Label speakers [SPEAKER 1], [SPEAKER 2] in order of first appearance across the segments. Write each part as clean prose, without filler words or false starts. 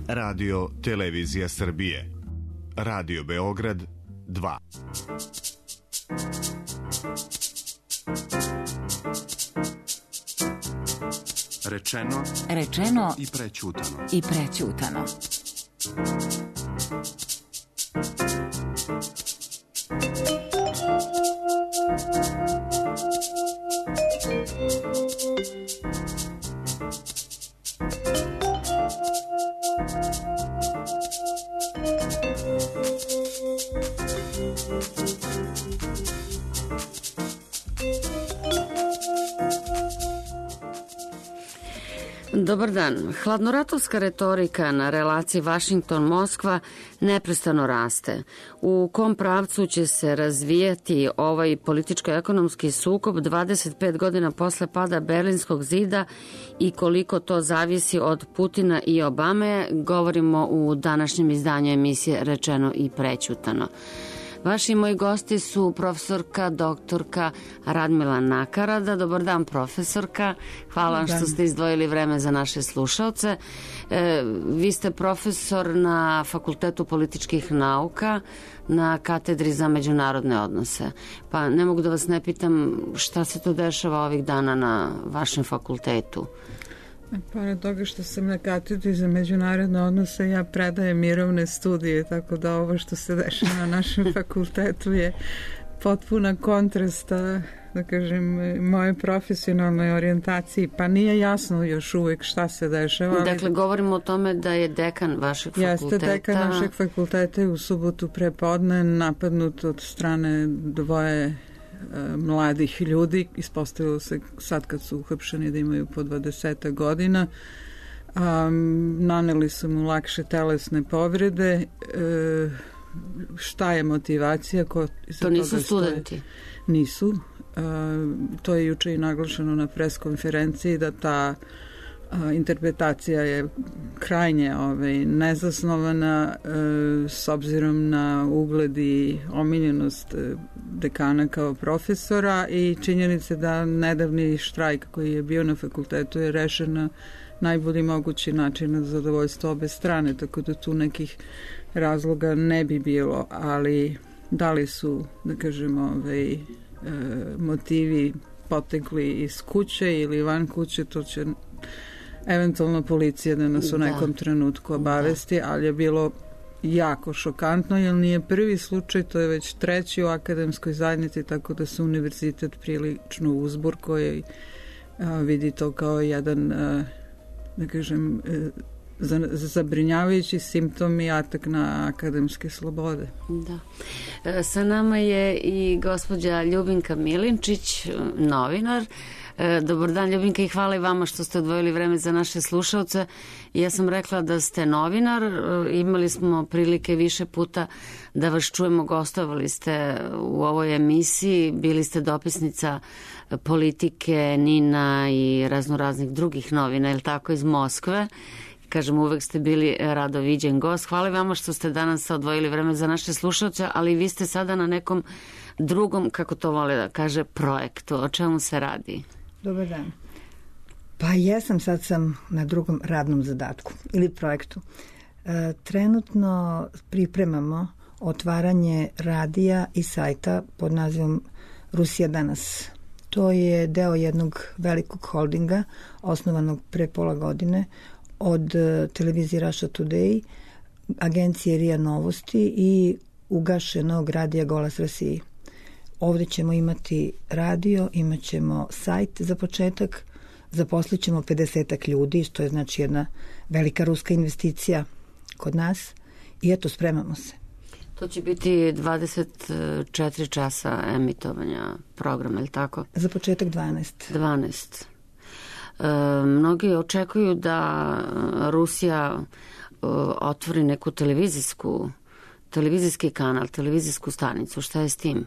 [SPEAKER 1] Radio Televizija Srbije. Radio Beograd 2.
[SPEAKER 2] Rečeno
[SPEAKER 3] i prećutano.
[SPEAKER 2] Dobar dan. Hladnoratovska retorika na relaciji Vašington-Moskva neprestano raste. U kom pravcu će se razvijati ovaj političko-ekonomski sukob 25 godina posle pada Berlinskog zida i koliko to zavisi od Putina i Obame, govorimo u današnjem izdanju emisije Rečeno i prećutano. Vaši moji gosti su profesorka, doktorka Radmila Nakarada. Dobar dan, profesorka. Hvala vam što ste izdvojili vreme za naše slušaoce. Vi ste profesor na Fakultetu političkih nauka na katedri za međunarodne odnose. Pa ne mogu da vas ne pitam šta se to dešava ovih dana na vašem fakultetu.
[SPEAKER 4] Pored toga što sam na katedri za međunarodne odnose, ja predajem mirovne studije, tako da ovo što se dešava na našem fakultetu je potpuna kontrasta, da kažem, moje profesionalnoj orijentaciji, pa nije jasno još uvijek šta se dešava.
[SPEAKER 2] Dakle, govorimo o tome da je dekan vašeg fakulteta.
[SPEAKER 4] Jeste, dekan našeg fakulteta je u subotu prepodne napadnut od strane dvoje mladih ljudi. Ispostavilo se sad kad su uhapšeni da imaju po 20 godina. Naneli su mu lakše telesne povrede. Šta je motivacija?
[SPEAKER 2] To nisu studenti?
[SPEAKER 4] Nisu. To je juče i naglašeno na pres konferenciji da ta interpretacija je krajnje nezasnovana s obzirom na ugled i omiljenost dekana kao profesora i činjenice da nedavni štrajk koji je bio na fakultetu je rešen na najbolji mogući način na zadovoljstvo obe strane, tako da tu nekih razloga ne bi bilo, ali da li su, da kažemo, motivi potekli iz kuće ili van kuće, to će eventualno policija da nas u nekom trenutku obavesti, ali je bilo jako šokantno, jer nije prvi slučaj, to je već treći u akademskoj zajednici, tako da se univerzitet prilično uzbur koji vidi to kao jedan, da kažem, zabrinjavajući simptom i atak na akademske slobode.
[SPEAKER 2] Da. Sa nama je i gospođa Ljubinka Milinčić, novinar. Dobar dan, Ljubinka, i hvala i vama što ste odvojili vreme za naše slušaoce. Ja sam rekla da ste novinar, imali smo prilike više puta da vas čujemo, gostovali ste u ovoj emisiji, bili ste dopisnica Politike, Nina i raznoraznih drugih novina, je li tako, iz Moskve. Kažem, uvek ste bili rado viđen gost. Hvala vama što ste danas odvojili vreme za naše slušaoce, ali vi ste sada na nekom drugom, kako to vole da kaže, projektu. O čemu se radi?
[SPEAKER 3] Dobar dan. Pa jesam, sad sam na drugom radnom zadatku ili projektu. Trenutno pripremamo otvaranje radija i sajta pod nazivom Rusija danas. To je deo jednog velikog holdinga osnovanog pre pola godine od televizije Russia Today, agencije RIA Novosti i ugašenog radija Golas Rasiji. Ovdje ćemo imati radio, imat ćemo sajt za početak, zaposlit ćemo 50 ljudi, što je znači jedna velika ruska investicija kod nas i eto, spremamo se.
[SPEAKER 2] To će biti 24 časa emitovanja programa, je li tako? Za početak 12. Mnogi očekuju da Rusija otvori neku televizijski kanal, televizijsku stanicu. Šta je s tim?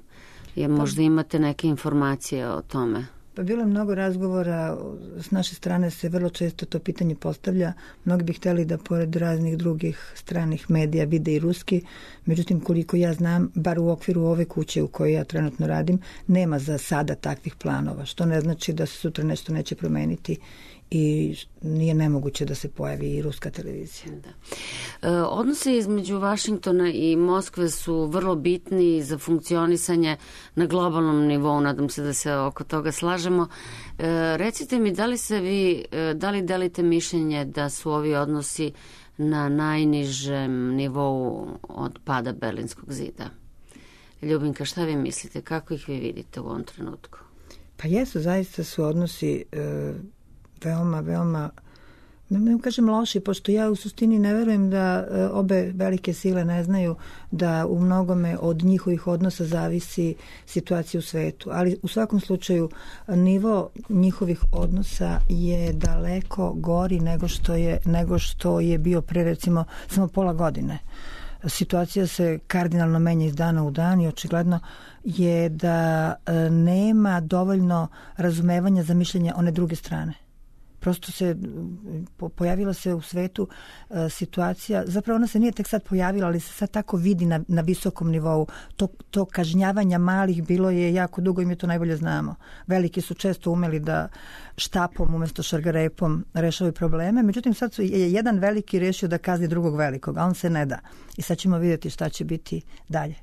[SPEAKER 2] Možda imate neke informacije o tome?
[SPEAKER 3] Pa bilo je mnogo razgovora, s naše strane se vrlo često to pitanje postavlja. Mnogi bi htjeli da pored raznih drugih stranih medija vide i ruski, međutim koliko ja znam, bar u okviru ove kuće u kojoj ja trenutno radim, nema za sada takvih planova, što ne znači da se sutra nešto neće promeniti i nije nemoguće da se pojavi i ruska televizija.
[SPEAKER 2] Da. Odnosi između Vašingtona i Moskve su vrlo bitni za funkcionisanje na globalnom nivou, nadam se da se oko toga slažemo. Recite mi, da li delite mišljenje da su ovi odnosi na najnižem nivou od pada Berlinskog zida? Ljubinka, šta vi mislite? Kako ih vi vidite u ovom trenutku?
[SPEAKER 3] Pa jesu, zaista su odnosi veoma, ne kažem loši, pošto ja u suštini ne verujem da obe velike sile ne znaju da u mnogome od njihovih odnosa zavisi situacija u svetu. Ali u svakom slučaju nivo njihovih odnosa je daleko gori nego što je bio pre recimo samo pola godine. Situacija se kardinalno menja iz dana u dan i očigledno je da nema dovoljno razumevanja za mišljenje one druge strane. Prosto pojavila se u svetu situacija, zapravo ona se nije tek sad pojavila, ali se sad tako vidi na visokom nivou. To kažnjavanja malih bilo je jako dugo i mi to najbolje znamo. Veliki su često umeli da štapom umjesto šargarepom rešavaju probleme, međutim sad je jedan veliki rešio da kazni drugog velikog, a on se ne da. I sad ćemo vidjeti šta će biti dalje.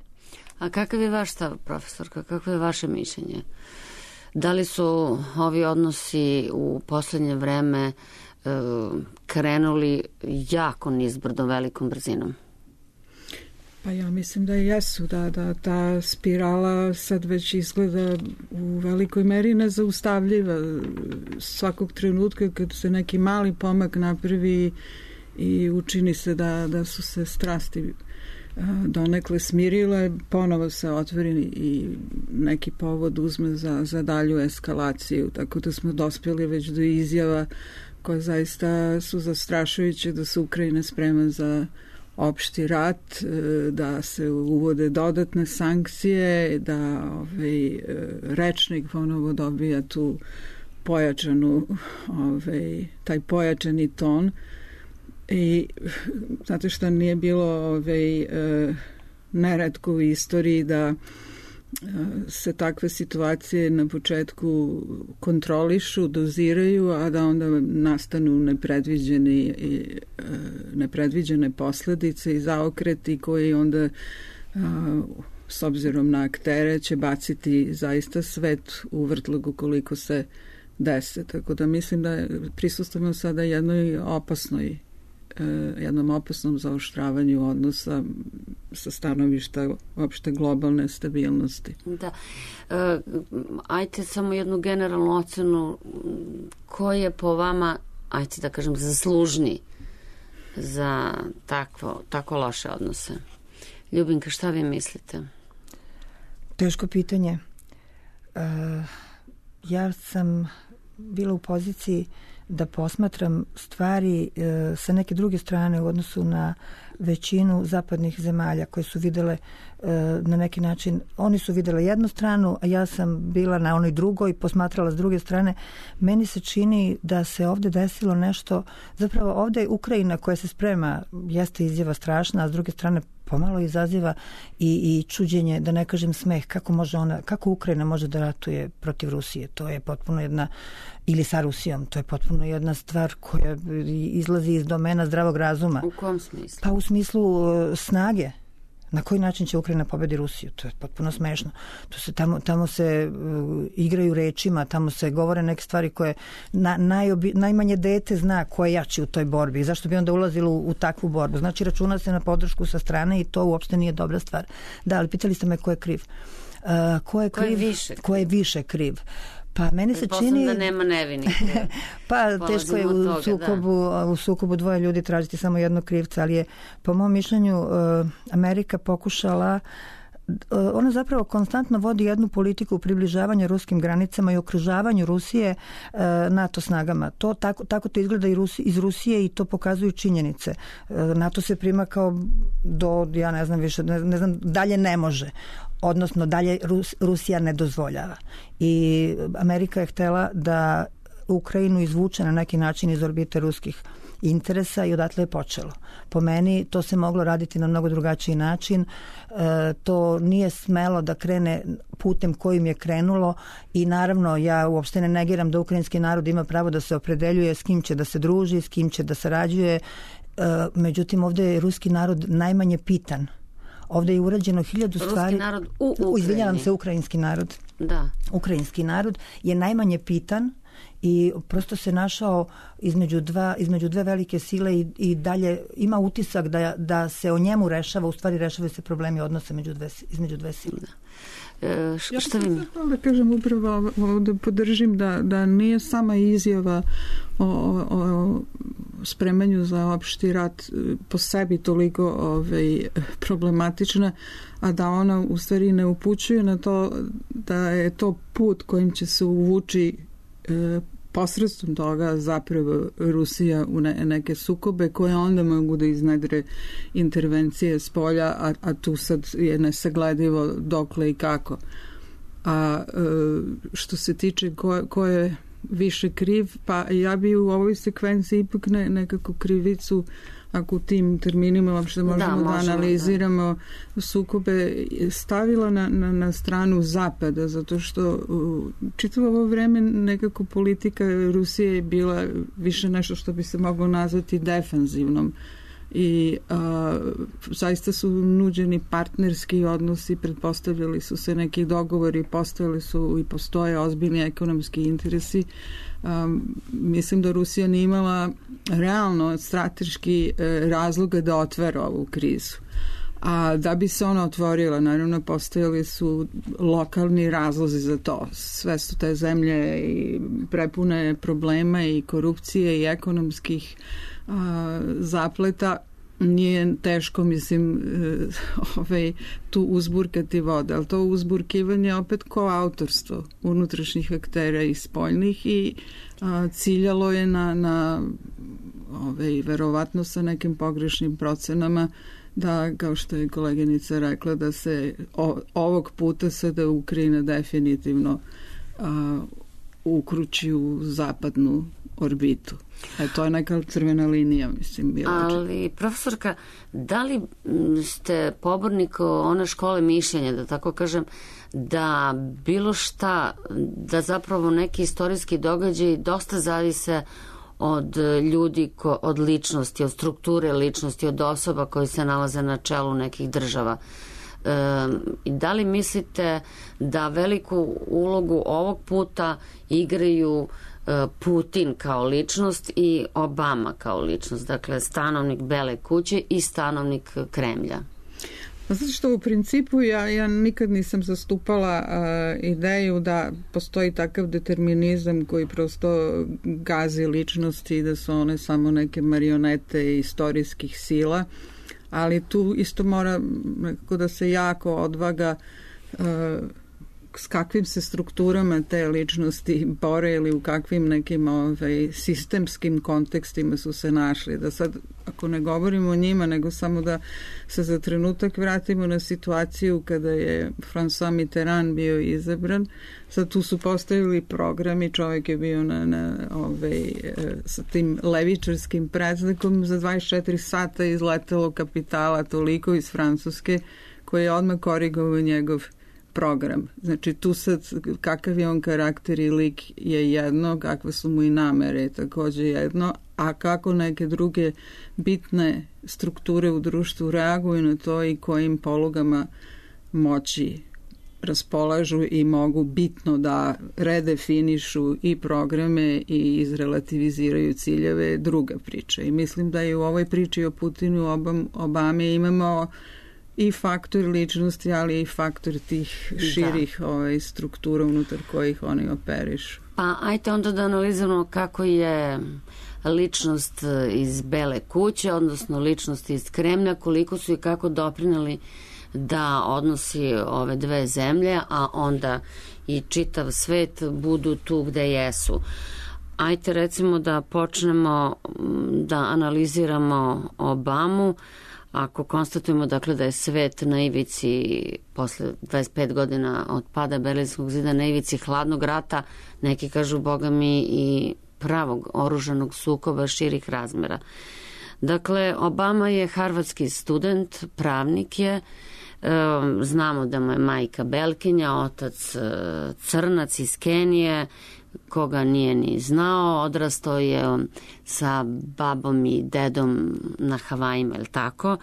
[SPEAKER 2] A kakav je vaš stav, profesorka? Kako je vaše mišljenje? Da li su ovi odnosi u poslednje vreme krenuli jako nizbrdo velikom brzinom?
[SPEAKER 4] Pa ja mislim da jesu, da ta spirala sad već izgleda u velikoj meri nezaustavljiva. Svakog trenutka kad se neki mali pomak napravi i učini se da su se strasti donekle smirile, ponovo se otvori i neki povod uzme za dalju eskalaciju, tako da smo dospjeli već do izjava koje zaista su zastrašujuće, da se Ukrajina sprema za opšti rat, da se uvode dodatne sankcije, da rečnik ponovo dobija tu pojačanu, taj pojačani ton. I znate što nije bilo neretko u istoriji da se takve situacije na početku kontrolišu, doziraju, a da onda nastanu nepredviđene posledice i zaokreti koji onda s obzirom na aktere će baciti zaista svet u vrtlogu koliko se dese. Tako da mislim da prisustujemo sada jednom opasnom zaoštravanju odnosa sa stanovišta opšte globalne stabilnosti.
[SPEAKER 2] Da. Ajte samo jednu generalnu ocenu, ko je po vama, ajte da kažem, zaslužni za tako loše odnose? Ljubinka, šta vi mislite?
[SPEAKER 3] Teško pitanje. Ja sam bila u poziciji da posmatram stvari sa neke druge strane u odnosu na većinu zapadnih zemalja koje su videle na neki način, oni su videle jednu stranu, a ja sam bila na onoj drugoj, posmatrala s druge strane. Meni se čini da se ovde desilo nešto, zapravo ovde je Ukrajina koja se sprema, jeste izjava strašna, a s druge strane pomalo izaziva i čuđenje, da ne kažem smeh, kako Ukrajina može da ratuje protiv Rusije. To je potpuno jedna, ili sa Rusijom, to je potpuno jedna stvar koja izlazi iz domena zdravog razuma.
[SPEAKER 2] U kom smislu?
[SPEAKER 3] Pa u smislu snage. Na koji način će Ukrajina pobedi Rusiju? To je potpuno smešno. Tamo se igraju rečima, tamo se govore neke stvari koje najmanje dete zna ko je jači u toj borbi. Zašto bi onda ulazilo u takvu borbu? Znači, računa se na podršku sa strane i to uopšte nije dobra stvar. Da, ali pitali ste me ko je kriv. Ko je više kriv? Pa meni se čini
[SPEAKER 2] da nema nevinih.
[SPEAKER 3] Pa teško je u sukobu dvoje ljudi tražiti samo jednog krivca, ali je po mom mišljenju Amerika pokušala, ona zapravo konstantno vodi jednu politiku približavanja ruskim granicama i okružavanju Rusije NATO snagama. To tako to izgleda iz Rusije i to pokazuju činjenice. NATO se prima kao ja ne znam više, ne znam, dalje ne može. Odnosno dalje Rusija ne dozvoljava. I Amerika je htela da Ukrajinu izvuče na neki način iz orbite ruskih interesa i odatle je počelo. Po meni to se moglo raditi na mnogo drugačiji način. To nije smelo da krene putem kojim je krenulo i naravno ja uopšte ne negiram da ukrajinski narod ima pravo da se opredeljuje s kim će da se druži, s kim će da sarađuje. Međutim, ovdje je ruski narod najmanje pitan. Ovdje je urađeno 1000 stvari.
[SPEAKER 2] Ruski narod u Ukrajini.
[SPEAKER 3] Izvinjavam se, ukrajinski narod.
[SPEAKER 2] Da.
[SPEAKER 3] Ukrajinski narod je najmanje pitan i prosto se našao između dve velike sile i dalje ima utisak da se o njemu rešava, u stvari rešavaju se problemi odnosa između dve sile.
[SPEAKER 2] Da.
[SPEAKER 4] Ja sam da kažem upravo da podržim da nije sama izjava o spremanju za opšti rat po sebi toliko problematična, a da ona u stvari ne upućuje na to da je to put kojim će se uvući posredstvom toga zapravo Rusija u neke sukobe koje onda mogu da iznedre intervencije s polja, a tu sad je nesagledivo dokle i kako. A što se tiče ko je više kriv, pa ja bi u ovoj sekvenciji ipak nekako krivicu, ako u tim terminima uopšte možemo da analiziramo sukobe, stavila na stranu Zapada, zato što čitavo ovo vreme nekako politika Rusije je bila više nešto što bi se moglo nazvati defanzivnom i zaista su nuđeni partnerski odnosi, pretpostavljali su se neki dogovori, postojali su i postoje ozbiljni ekonomski interesi. Mislim da Rusija nije imala realno strateški razloga da otvara ovu krizu. A da bi se ona otvorila, naravno postojali su lokalni razlozi za to. Sve su te zemlje i prepune problema i korupcije i ekonomskih zapleta. Nije teško, mislim, tu uzburkati vode, ali to uzburkivanje opet koautorstvo unutrašnjih aktera i spoljnih i ciljalo je na verovatno sa nekim pogrešnim procenama da, kao što je koleginica rekla, da se ovog puta sada Ukrajina definitivno ukruči u zapadnu orbitu. To je neka crvena linija, mislim.
[SPEAKER 2] Ali, profesorka, da li ste pobornik one škole mišljenja, da tako kažem, da bilo šta, da zapravo neki istorijski događaj dosta zavise od ljudi, od ličnosti, od strukture ličnosti, od osoba koji se nalaze na čelu nekih država? Da li mislite da veliku ulogu ovog puta igraju Putin kao ličnost i Obama kao ličnost, dakle stanovnik Bele kuće i stanovnik Kremlja?
[SPEAKER 4] Zato što u principu ja nikad nisam zastupala ideju da postoji takav determinizam koji prosto gazi ličnosti i da su one samo neke marionete istorijskih sila, ali tu isto mora nekako da se jako odvaga s kakvim se strukturama te ličnosti bore ili u kakvim nekim sistemskim kontekstima su se našli. Da sad, ako ne govorimo o njima, nego samo da se za trenutak vratimo na situaciju kada je François Mitterrand bio izabran. Sad tu su postavili programi, čovjek je bio sa tim levičarskim predznakom, za 24 sata izletelo kapitala toliko iz Francuske koji je odmah korigovao njegov program. Znači tu sad kakav je on karakter i lik je jedno, kakve su mu i namere također jedno, a kako neke druge bitne strukture u društvu reaguju na to i kojim polugama moći raspolažu i mogu bitno da redefinišu i programe i izrelativiziraju ciljeve, druga priča. I mislim da je u ovoj priči o Putinu Obame imamo i faktor ličnosti, ali i faktor tih širih struktura unutar kojih oni operišu.
[SPEAKER 2] Pa ajte onda da analiziramo kako je ličnost iz Bele kuće, odnosno ličnost iz Kremlja, koliko su i kako doprineli da odnosi ove dve zemlje, a onda i čitav svet budu tu gde jesu. Ajte recimo da počnemo da analiziramo Obamu. Ako konstatujemo dakle da je svet na ivici posle 25 godina od pada Berlinskog zida, na ivici hladnog rata, neki kažu boga mi i pravog oružanog sukoba širih razmera. Dakle, Obama je harvardski student, pravnik je, znamo da mu je majka Belkinja, otac Crnac iz Kenije, koga nije ni znao, odrastao je sa babom i dedom na Havajima, ili tako.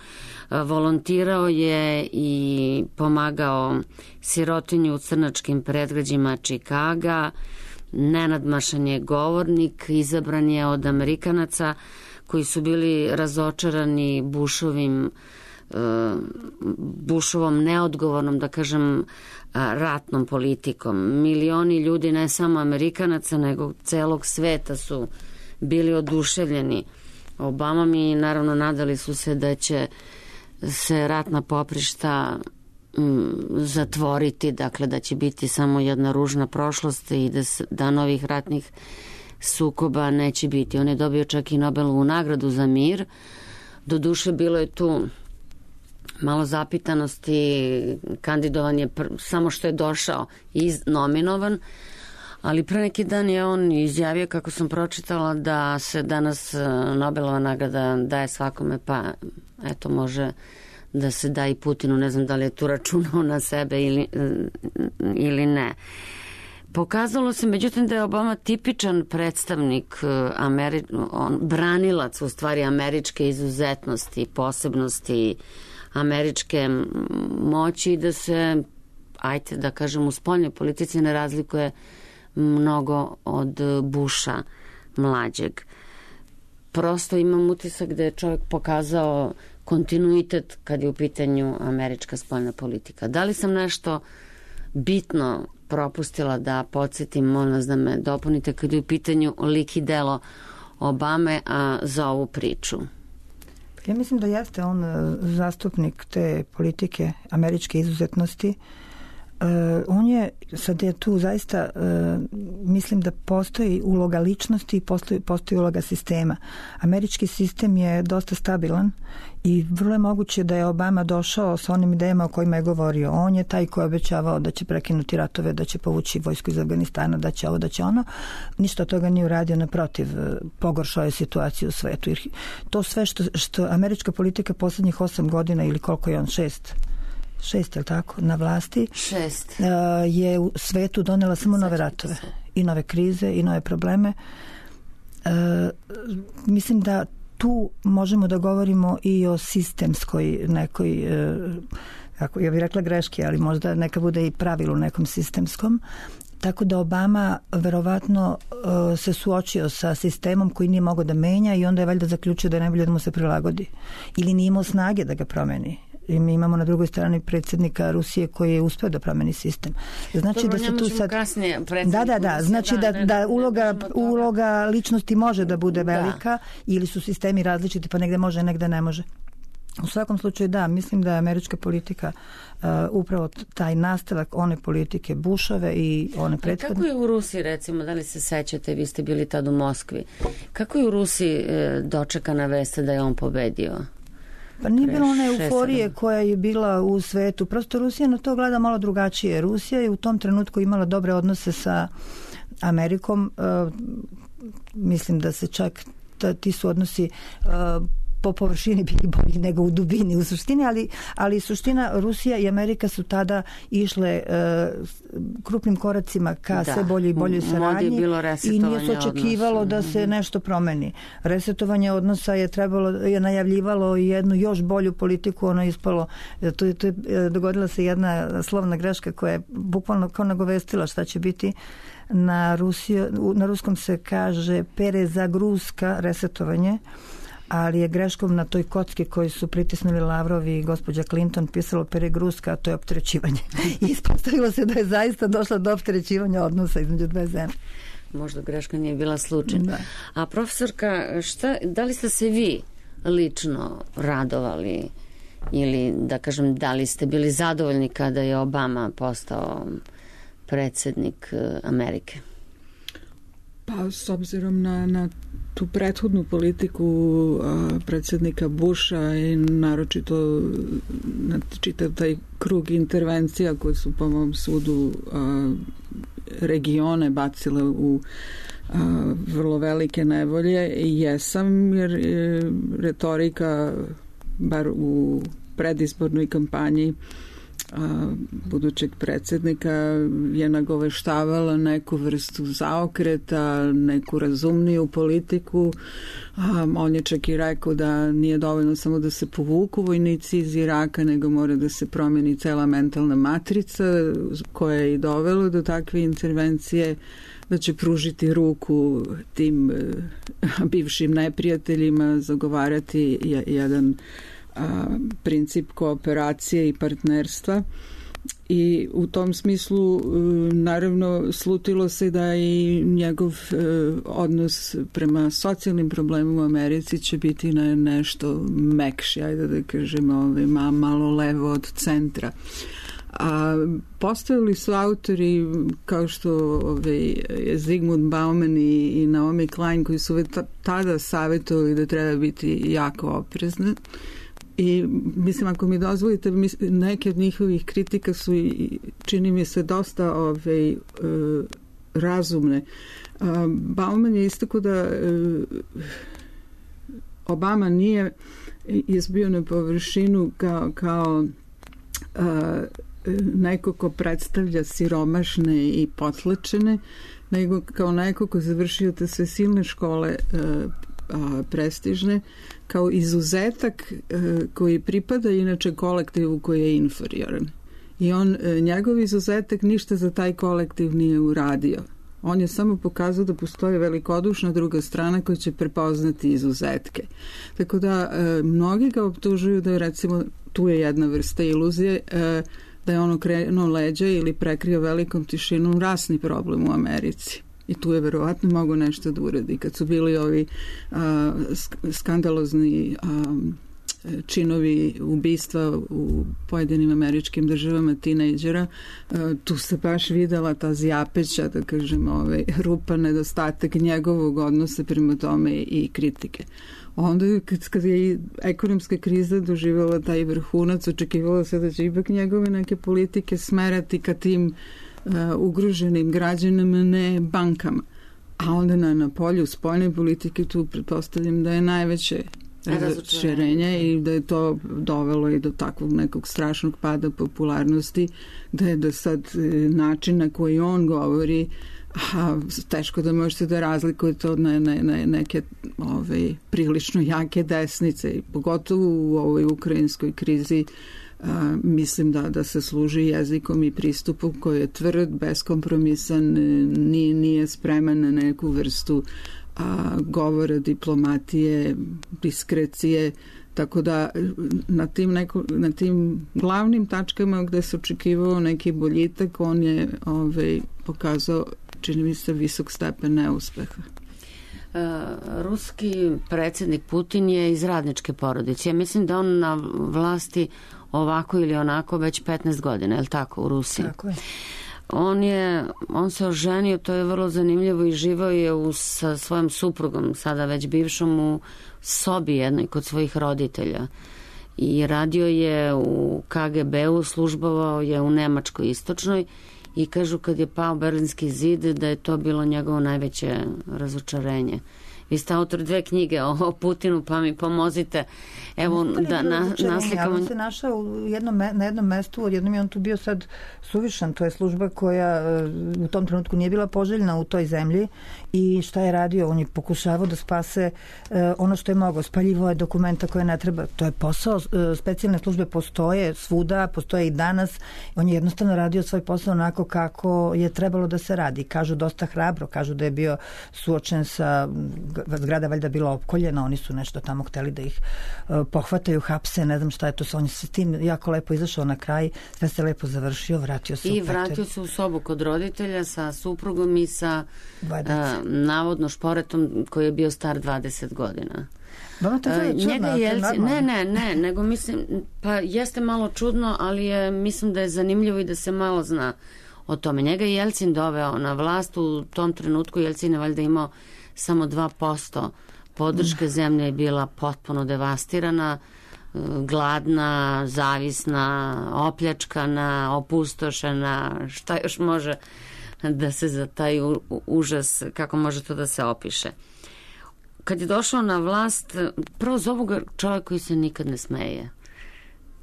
[SPEAKER 2] Volontirao je i pomagao sirotinju u crnačkim predgrađima Čikaga, nenadmašan je govornik, izabran je od Amerikanaca koji su bili razočarani Bushovom neodgovornom, da kažem, ratnom politikom. Milioni ljudi, ne samo Amerikanaca, nego celog sveta su bili oduševljeni Obamom i naravno nadali su se da će se ratna poprišta zatvoriti, dakle da će biti samo jedna ružna prošlost i da novih ratnih sukoba neće biti. On je dobio čak i Nobelovu nagradu za mir. Doduše bilo je tu malo zapitanosti, kandidovan je samo što je došao i nominovan, ali pre neki dan je on izjavio, kako sam pročitala, da se danas Nobelova nagrada daje svakome, pa eto može da se da i Putinu, ne znam da li je tu računao na sebe ili ne. Pokazalo se, međutim, da je Obama tipičan predstavnik, branilac u stvari američke izuzetnosti, posebnosti, američke moći, da se, ajte da kažem, u spoljnoj politici ne razlikuje mnogo od Busha mlađeg. Prosto imam utisak da je čovjek pokazao kontinuitet kad je u pitanju američka spoljna politika. Da li sam nešto bitno propustila da podsjetim, molim vas da me dopunite, kad je u pitanju lik i delo Obame za ovu priču?
[SPEAKER 3] Ja mislim da jeste on zastupnik te politike američke izuzetnosti. On je, sad je tu zaista, mislim da postoji uloga ličnosti i postoji uloga sistema. Američki sistem je dosta stabilan i vrlo je moguće da je Obama došao sa onim idejama o kojima je govorio. On je taj koji je obećavao da će prekinuti ratove, da će povući vojsku iz Afganistana, da će ovo, da će ono. Ništa od toga nije uradio, naprotiv, pogoršao je situaciju u svetu. Jer to sve što američka politika poslednjih 8 godina ili koliko je on, 6, je tako, na vlasti,
[SPEAKER 2] 6,
[SPEAKER 3] je u svetu donela samo nove ratove i nove krize i nove probleme. Mislim da tu možemo da govorimo i o sistemskoj nekoj, ja bih rekla greški, ali možda neka bude i pravilo nekom sistemskom. Tako da Obama verovatno se suočio sa sistemom koji nije mogao da menja i onda je valjda zaključio da je najbolje da mu se prilagodi. Ili nije imao snage da ga promeni. I mi imamo na drugoj strani predsjednika Rusije koji je uspeo da promeni sistem. Znači
[SPEAKER 2] dobro,
[SPEAKER 3] da se tu sad
[SPEAKER 2] Da,
[SPEAKER 3] znači da uloga ličnosti može da bude velika, ili su sistemi različiti, pa negde može, negde ne može. U svakom slučaju da, mislim da je američka politika upravo taj nastavak one politike Bushove i one prethodne.
[SPEAKER 2] Kako je u Rusiji, recimo, da li se sećate, vi ste bili tad u Moskvi, kako je u Rusiji dočekana vest da je on pobedio?
[SPEAKER 3] Pa nije bilo one euforije koja je bila u svetu. Prosto Rusija na to gleda malo drugačije. Rusija je u tom trenutku imala dobre odnose sa Amerikom. Mislim da se čak ti su odnosi po površini bili bolji nego u dubini u suštini, ali suština Rusija i Amerika su tada išle krupnim koracima ka sve bolje i bolje saradnji i nije se očekivalo da se nešto promeni. Resetovanje odnosa je najavljivalo jednu još bolju politiku, ono je ispalo, dogodila se jedna slovna greška koja je bukvalno kao nagovestila šta će biti. Na ruskom se kaže perezagruska, resetovanje, ali je greškom na toj kocki koju su pritisnuli Lavrov i gospođa Clinton pisalo peregruska, a to je opterećivanje. I ispostavilo se da je zaista došla do opterećivanja odnosa između dve zemlje.
[SPEAKER 2] Možda greška nije bila slučajna. A profesorka, da li ste se vi lično radovali ili, da kažem, da li ste bili zadovoljni kada je Obama postao predsjednik Amerike?
[SPEAKER 4] Pa s obzirom na tu prethodnu politiku predsjednika Busha i naročito na čitav taj krug intervencija koje su po mom sudu regione bacile u vrlo velike nevolje. Jesam, jer retorika, bar u predizbornoj kampanji budućeg predsjednika, je nagoveštavala neku vrstu zaokreta, neku razumniju politiku. On je čak i rekao da nije dovoljno samo da se povuku vojnici iz Iraka, nego mora da se promijeni cela mentalna matrica koja je i dovela do takve intervencije, da će pružiti ruku tim bivšim neprijateljima, zagovarati jedan princip kooperacije i partnerstva. I u tom smislu naravno slutilo se da i njegov odnos prema socijalnim problemima u Americi će biti nešto mekši, ajde da kažemo, malo levo od centra. Postojali su autori kao što je Zygmunt Bauman i Naomi Klein, koji su tada savjetovali da treba biti jako oprezni. I mislim, ako mi dozvolite, neke od njihovih kritika su, čini mi se, dosta razumne. Bauman je istakao da Obama nije izbio na površinu kao neko ko predstavlja siromašne i potlačene, nego kao neko ko završio te sve silne škole prestižne, kao izuzetak koji pripada inače kolektivu koji je inferioran. I njegov izuzetak ništa za taj kolektiv nije uradio. On je samo pokazao da postoji velikodušna druga strana koja će prepoznati izuzetke. Tako da mnogi ga optužuju da je, recimo, tu je jedna vrsta iluzije, da je on okrenuo leđa ili prekrio velikom tišinom rasni problem u Americi. I tu je verovatno mogo nešto da uradi. Kad su bili ovi skandalozni činovi ubistva u pojedinim američkim državama tinejdžera, tu se baš videla ta zjapeća, da kažem, rupa, nedostatak njegovog odnosa prema tome i kritike. Onda kad je ekonomska kriza doživjela taj vrhunac, očekivalo se da će ipak njegove neke politike smerati ka tim ugroženim građanima, ne bankama. A onda na polju spoljne politike tu pretpostavljam da je najveće razočarenje i da je to dovelo i do takvog nekog strašnog pada popularnosti, da je do sad način na koji on govori, teško da možete da razlikujete od neke prilično jake desnice, i pogotovo u ovoj ukrajinskoj krizi. Mislim da se služi jezikom i pristupom koji je tvrd, beskompromisan, nije spreman na neku vrstu govora, diplomatije, diskrecije, tako da na tim glavnim tačkama gde se očekivao neki boljitak, on je pokazao, čini mi se, visok stepen neuspeha.
[SPEAKER 2] Ruski predsjednik Putin je iz radničke porodice. Ja mislim da on na vlasti ovako ili onako već 15 godina, je li tako, u Rusiji?
[SPEAKER 3] Tako je.
[SPEAKER 2] On se oženio, to je vrlo zanimljivo, i živao je sa svojom suprugom, sada već bivšom, u sobi jednoj kod svojih roditelja. I radio je u KGB-u, službovao je u Nemačkoj istočnoj, i kažu kad je pao Berlinski zid da je to bilo njegovo najveće razočarenje. Vi ste autor 2 knjige o Putinu, pa mi pomozite. Evo da naslikamo.
[SPEAKER 3] On se našao na jednom mestu, odjednom je on tu bio sad suvišan. To je služba koja u tom trenutku nije bila poželjna u toj zemlji. I šta je radio? On je pokušavao da spase ono što je mogao. Spaljivo je dokumenta koje ne treba. To je posao. Specijalne službe postoje svuda, postoje i danas. On je jednostavno radio svoj posao onako kako je trebalo da se radi. Kažu dosta hrabro, kažu da je bio suočen sa zgrada valjda bila opkoljena, oni su nešto tamo hteli da ih pohvataju, hapse, ne znam šta je to, on je s tim jako lepo izašao na kraj, sve se lepo završio, vratio se
[SPEAKER 2] vratio se u sobu kod roditelja sa suprugom i sa navodno šporetom koji je bio star 20 godina. Ne, nego mislim, pa jeste malo čudno, ali mislim da je zanimljivo i da se malo zna o tome. Njega je Jelcin doveo na vlast, u tom trenutku Jelcin je valjda imao samo 2% podrške, zemlja je bila potpuno devastirana, gladna, zavisna, opljačkana, opustošena, šta još može da se za taj užas, kako može to da se opiše. Kad je došao na vlast, prvo zovu ga čovjek koji se nikad ne smeje.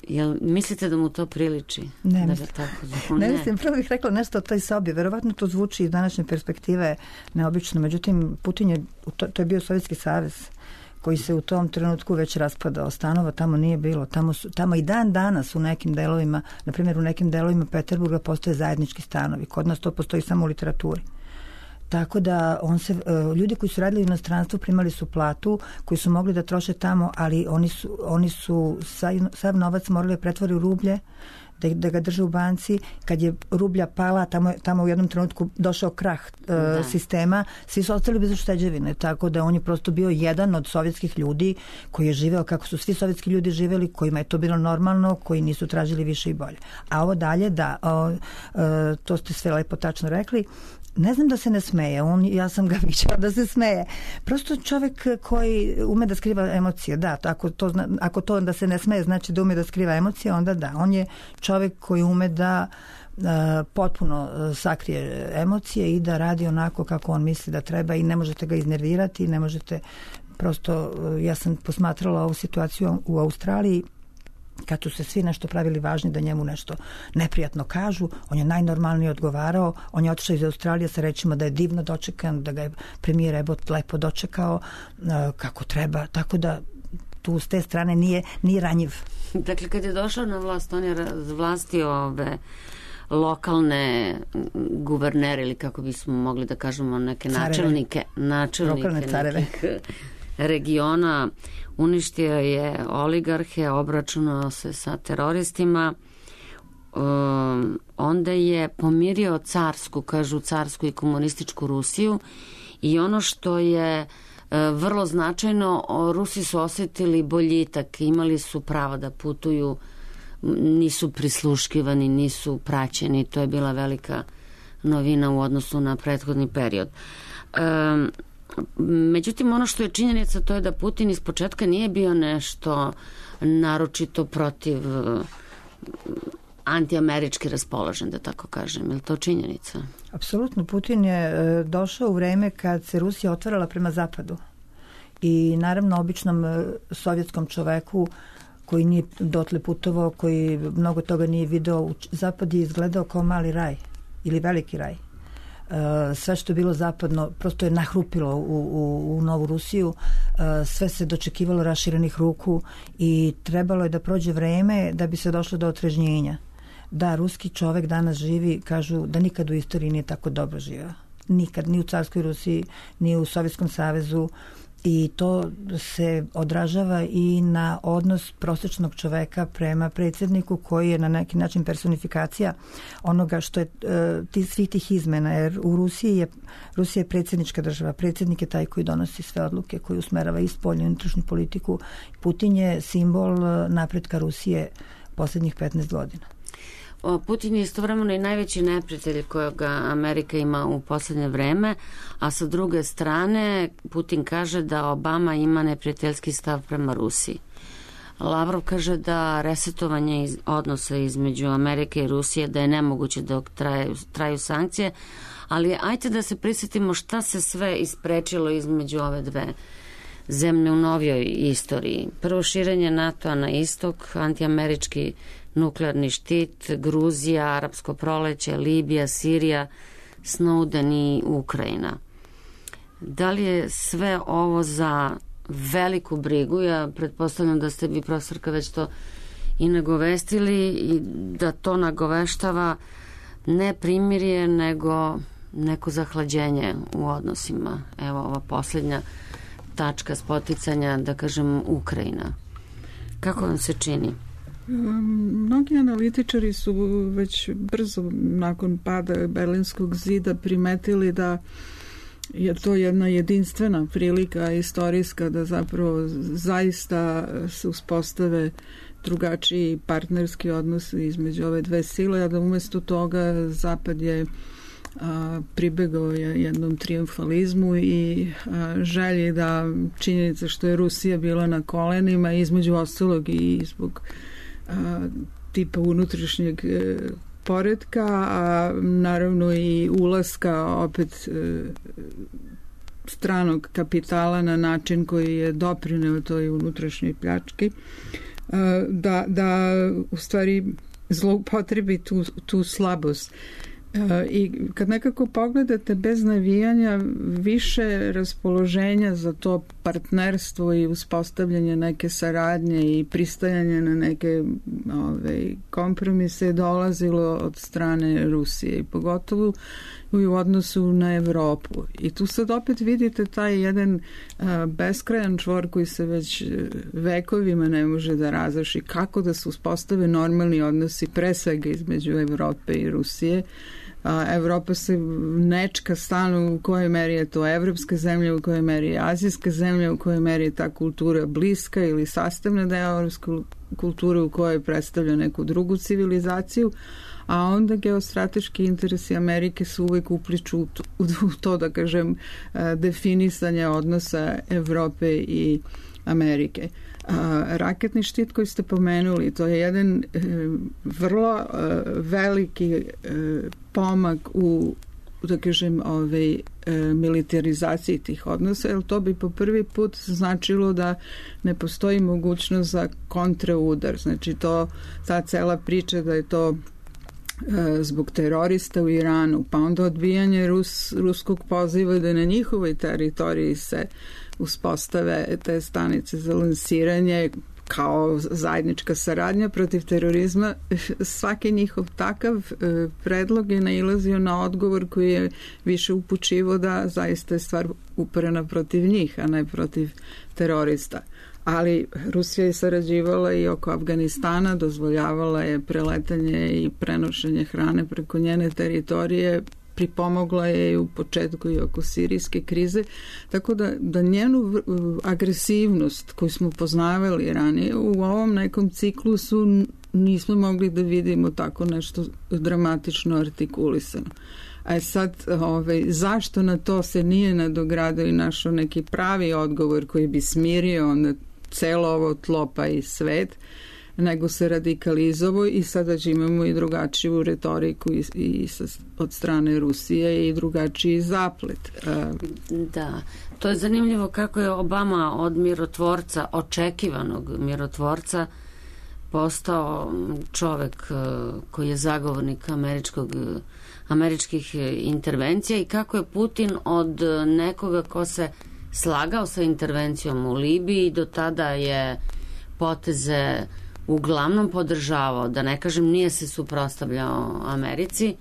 [SPEAKER 2] Jel mislite da mu to priliči?
[SPEAKER 3] Ne,
[SPEAKER 2] da
[SPEAKER 3] mislim. Ne mislim, prvo bih rekla nešto o toj sobi. Verovatno to zvuči iz današnje perspektive neobično. Međutim, Putin je, to je bio Sovjetski savez koji se u tom trenutku već raspadao. Stanova tamo nije bilo. Tamo i dan danas u nekim delovima, na primjer u nekim delovima Peterburga postoje zajednički stanovi. Kod nas to postoji samo u literaturi. Tako da ljudi koji su radili u inostranstvu primali su platu, koji su mogli da troše tamo, ali oni su sav novac morali pretvori u rublje, da ga drže u banci. Kad je rublja pala, tamo u jednom trenutku došao krah sistema, svi su ostali bez ušteđevine, tako da on je prosto bio jedan od sovjetskih ljudi koji je živeo kako su svi sovjetski ljudi živeli, kojima je to bilo normalno, koji nisu tražili više i bolje. A ovo dalje, to ste sve lepo tačno rekli. Ne znam da se ne smeje, ja sam ga viđala da se smeje. Prosto čovjek koji ume da skriva emocije, da, ako to da se ne smeje znači da ume da skriva emocije, onda da. On je čovjek koji ume da potpuno sakrije emocije i da radi onako kako on misli da treba i ne možete ga iznervirati, ne možete prosto, ja sam posmatrala ovu situaciju u Australiji, kad su se svi nešto pravili važni da njemu nešto neprijatno kažu, on je najnormalnije odgovarao, on je otišao iz Australije sa rečima da je divno dočekan, da ga je premijer Ebot lepo dočekao kako treba, tako da tu s te strane nije ranjiv.
[SPEAKER 2] Dakle, kad je došao na vlast, on je razvlastio ove lokalne guvernere ili kako bismo mogli da kažemo neke načelnike nekih regiona, uništio je oligarhe, obračunao se sa teroristima, onda je pomirio carsku i komunističku Rusiju i ono što je vrlo značajno, Rusi su osjetili boljitak, imali su pravo da putuju, nisu prisluškivani, nisu praćeni, to je bila velika novina u odnosu na prethodni period. Međutim, ono što je činjenica, to je da Putin iz početka nije bio nešto naročito protiv antiamerički raspoložen, da tako kažem. Je li to činjenica?
[SPEAKER 3] Apsolutno. Putin je došao u vreme kad se Rusija otvarala prema zapadu. I naravno običnom sovjetskom čoveku koji nije dotle putovao, koji mnogo toga nije video, zapad je izgledao kao mali raj ili veliki raj. Sve što je bilo zapadno prosto je nahrupilo u Novu Rusiju, sve se dočekivalo raširenih ruku i trebalo je da prođe vreme da bi se došlo do otrežnjenja. Da, ruski čovek danas živi, kažu da nikad u istoriji nije tako dobro živio. Nikad, ni u carskoj Rusiji, ni u Sovjetskom savezu, i to se odražava i na odnos prosječnog čoveka prema predsjedniku koji je na neki način personifikacija onoga što je svih tih izmena, jer u Rusija je predsjednička država, predsjednik je taj koji donosi sve odluke, koji usmerava i spoljnu i unutrašnju politiku. Putin je simbol napretka Rusije posljednjih 15 godina.
[SPEAKER 2] Putin je istovremeno i najveći neprijatelj kojeg Amerika ima u posljednje vreme, a sa druge strane Putin kaže da Obama ima neprijateljski stav prema Rusiji. Lavrov kaže da resetovanje odnosa između Amerike i Rusije da je nemoguće dok traju sankcije, ali ajte da se prisjetimo šta se sve isprečilo između ove dve zemlje u novijoj istoriji. Prvo, širenje NATO-a na istok, antiamerički nuklearni štit, Gruzija, Arapsko proleće, Libija, Sirija, Snowden i Ukrajina. Da li je sve ovo za veliku brigu? Ja pretpostavljam da ste vi, profesorka, već to i nagovestili i da to nagoveštava ne primirje, nego neko zahlađenje u odnosima. Evo ova posljednja tačka spoticanja, da kažem, Ukrajina. Kako vam se čini?
[SPEAKER 4] Mnogi analitičari su već brzo nakon pada Berlinskog zida primetili da je to jedna jedinstvena prilika istorijska da zapravo zaista se uspostave drugačiji partnerski odnosi između ove dve sile, a da umjesto toga Zapad je pribegao jednom trijumfalizmu i želji da činjenica što je Rusija bila na kolenima, između ostalog i zbog tipa unutrašnjeg poretka, a naravno i ulaska opet stranog kapitala na način koji je doprineo toj unutrašnjoj pljački, da u stvari zloupotrebi tu slabost. I kad nekako pogledate bez navijanja, više raspoloženja za to partnerstvo i uspostavljanje neke saradnje i pristajanje na neke kompromise je dolazilo od strane Rusije i pogotovo u odnosu na Evropu. I tu sad opet vidite taj jedan beskrajan čvor koji se već vekovima ne može da razreši, kako da se uspostave normalni odnosi pre svega između Evrope i Rusije. Evropa se nečka stalno u kojoj meri je to evropska zemlja, u kojoj meri je azijska zemlja, u kojoj meri je ta kultura bliska ili sastavna deo evropske kulture, u kojoj predstavlja neku drugu civilizaciju, a onda geostrateški interesi Amerike su uvek upliču u to, da kažem, definisanje odnosa Evrope i Amerike. Raketni štit koji ste pomenuli, to je jedan vrlo veliki pomak u, da kažem, militarizaciji tih odnosa, jer to bi po prvi put značilo da ne postoji mogućnost za kontraudar. Znači ta cela priča da je to zbog terorista u Iranu, pa onda odbijanje ruskog poziva da na njihovoj teritoriji se uspostave te stanice za lansiranje kao zajednička saradnja protiv terorizma. Svaki njihov takav predlog je nailazio na odgovor koji je više upućivo da zaista je stvar uperena protiv njih, a ne protiv terorista. Ali Rusija je sarađivala i oko Afganistana, dozvoljavala je preletanje i prenošenje hrane preko njene teritorije, pripomogla je i u početku i oko sirijske krize, tako da njenu agresivnost koju smo poznavali ranije u ovom nekom ciklusu nismo mogli da vidimo tako nešto dramatično artikulisano. A sad, zašto na to se nije nadogradio i našao neki pravi odgovor koji bi smirio onda celo ovo tlo pa i svet, nego se radikalizovao i sada imamo i drugačiju retoriku i od strane Rusije i drugačiji zaplet.
[SPEAKER 2] Da, to je zanimljivo kako je Obama od mirotvorca, očekivanog mirotvorca, postao čovek koji je zagovornik američkih intervencija i kako je Putin od nekoga ko se slagao sa intervencijom u Libiji, do tada je poteze uglavnom podržavao, da ne kažem nije se suprotstavljao Americi.